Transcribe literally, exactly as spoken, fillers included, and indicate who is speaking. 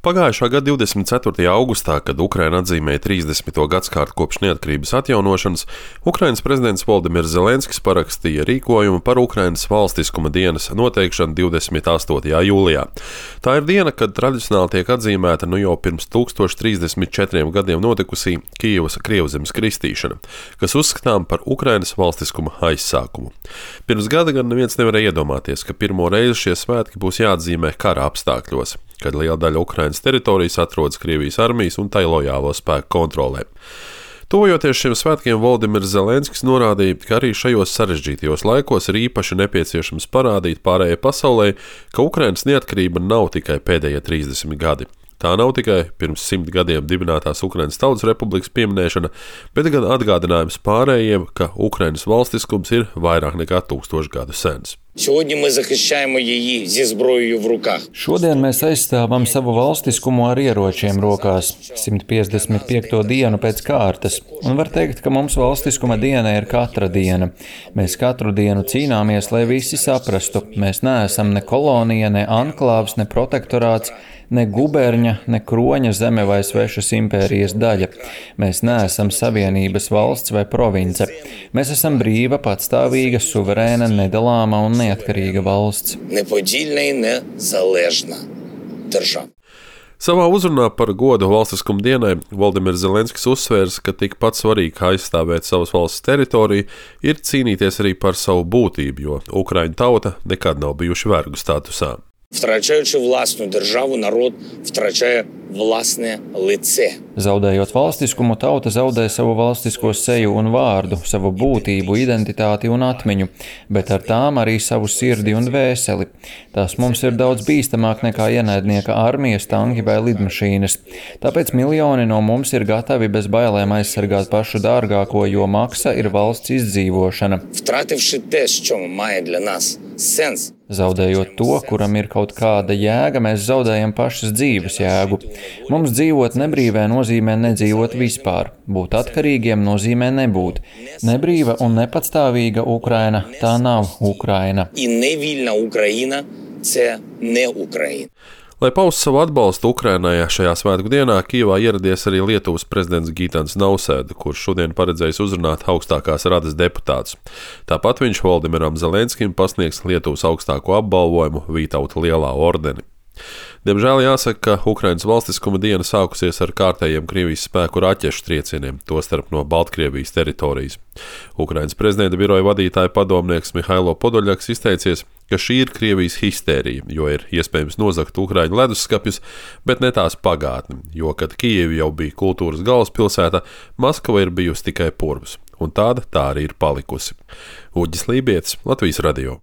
Speaker 1: Pagājušā gada divdesmit ceturtajā augustā, kad Ukraina atzīmēja trīsdesmito gadsimtu kopš neatkarības atjaunošanas, Ukrainas prezidents Voldimirs Zelenskis parakstīja rīkojumu par Ukrainas valstiskuma dienas noteikšanu divdesmit astotajā jūlijā. Tā ir diena, kad tradicionāli tiek atzīmēta nu jau pirms tūkstoš trīsdesmit četriem gadiem notikusī Kijevas Krievzemes kristīšana, kas uzskatām par Ukrainas valstiskuma aizsākumu. Pirms gada gan neviens nevarēja iedomāties, ka pirmo reizi šie svētki būs jāatzīmē kara apstākļos, kad liela daļa Ukrainas teritorijas atrodas Krievijas armijas un tai lojālo spēku kontrolē. Tuvojoties šiem svētkiem, Voldimirs Zelenskis norādīja, ka arī šajos sarežģītajos laikos ir īpaši nepieciešams parādīt pārējai pasaulē, ka Ukrainas neatkarība nav tikai pēdējie trīsdesmit gadi. Tā nav tikai pirms simt gadiem dibinātās Ukrainas Tautas Republikas pieminēšana, bet gan atgādinājums pārējiem, ka Ukrainas valstiskums ir vairāk nekā tūkstošu gadu sens.
Speaker 2: Šodien mēs aizstāvam savu valstiskumu ar ieročiem rokās, simt piecdesmit piekto dienu pēc kārtas, un var teikt, ka mums valstiskuma diena ir katra diena. Mēs katru dienu cīnāmies, lai visi saprastu, mēs neesam ne kolonija, ne anklāvs, ne protektorāts, ne guberņa, ne kroņa zeme vai svešas impērijas daļa. Mēs neesam savienības valsts vai province. Mēs esam brīva, patstāvīga, suverēna, nedalāma un neatkarīga valsts.
Speaker 1: Savā uzrunā par godu valstiskuma dienai Voldimirs Zelenskis uzsvērs, ka tikpat svarīgi kā aizstāvēt savas valsts teritoriju, ir cīnīties arī par savu būtību, jo Ukraiņu tauta nekad nav bijuši vergu statusā.
Speaker 3: Втрачаючи власну державу, народ втрачає власне лице.
Speaker 2: Zaudējot valstiskumu, tauta zaudē savu valstisko seju un vārdu, savu būtību, identitāti un atmiņu, bet ar tām arī savu sirdi un dvēseli. Tās mums ir daudz bīstamāk nekā ienaidnieka armijas, tanki vai lidmašīnas. Tāpēc miljoni no mums ir gatavi bez bailēm aizsargāt pašu dārgāko, jo maksa ir valsts izdzīvošana.
Speaker 3: Втративши те, що має для нас сенс.
Speaker 2: Zaudējot to, kuram ir kaut kāda jēga, mēs zaudējam pašas dzīves jēgu. Mums dzīvot nebrīvē nozīmē nedzīvot vispār. Būt atkarīgiem nozīmē nebūt. Nebrīva un nepatstāvīga Ukraina – tā nav Ukraina.
Speaker 3: І невільна Україна – це не Україна.
Speaker 1: Lai paustu savu atbalstu Ukrainai šajā svētku dienā, Kijevā ieradies arī Lietuvas prezidents Gitans Nausēda, kurš šodien paredzējis uzrunāt augstākās radas deputātus. Tāpat viņš Voldimiram Zelenskim pasniegs Lietuvas augstāko apbalvojumu Vītauta lielā ordeni. Diemžēl jāsaka, ka Ukrainas valstiskuma diena sākusies ar kārtējiem Krievijas spēku raķešu triecieniem, tostarp no Baltkrievijas teritorijas. Ukrainas prezidenta biroja vadītāja padomnieks Mihailo Podoļaks izteicies, ka šī ir Krievijas histērija, jo ir iespējams nozagt Ukraiņu leduskapjus, bet ne tās pagātni, jo, kad Kijeva jau bija kultūras galvaspilsēta, Maskava ir bijusi tikai purvs, un tāda tā arī ir palikusi. Uģis Lībietis, Latvijas radio.